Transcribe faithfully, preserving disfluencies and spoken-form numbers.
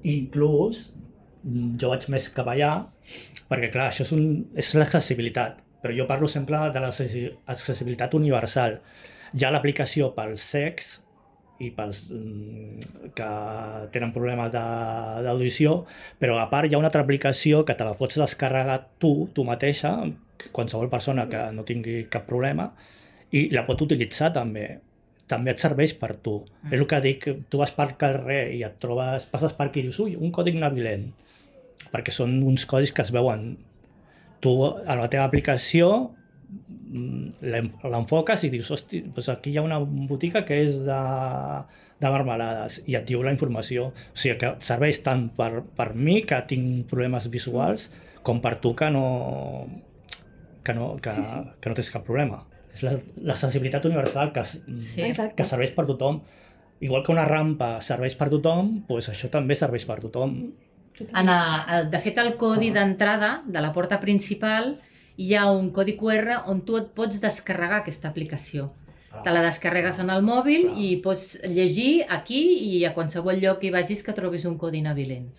inclús jo vaig més cap allà, perquè clar, això és, un, és l'accessibilitat, però jo parlo sempre de l'accessibilitat universal. Hi ha l'aplicació pels cecs i pels que tenen problemes d'audició, però a part hi ha una altra aplicació que te la pots descarregar tu, tu mateixa, qualsevol persona que no tingui cap problema, i la pot utilitzar també. També et serveix per tu. Mm. És el que dic, tu vas pel carrer i et trobes, passes per aquí i dius, ui, un còdic navilent, perquè són uns codis que es veuen. Tu, a la teva aplicació, l'enfoques i dius, hosti, doncs aquí hi ha una botiga que és de, de marmelades, i et diu la informació. O sigui que serveix tant per, per mi, que tinc problemes visuals, com per tu, que no, que no, que, sí, sí. que no tens cap problema. És l'accessibilitat universal que, sí. que serveix per tothom. Igual que una rampa serveix per tothom, doncs això també serveix per tothom. En a, de fet, el codi ah. d'entrada de la porta principal hi ha un codi cu erre on tu et pots descarregar aquesta aplicació. Ah. Te la descarregues en el mòbil ah. i pots llegir aquí i a qualsevol lloc que hi vagis que trobis un codi navilent.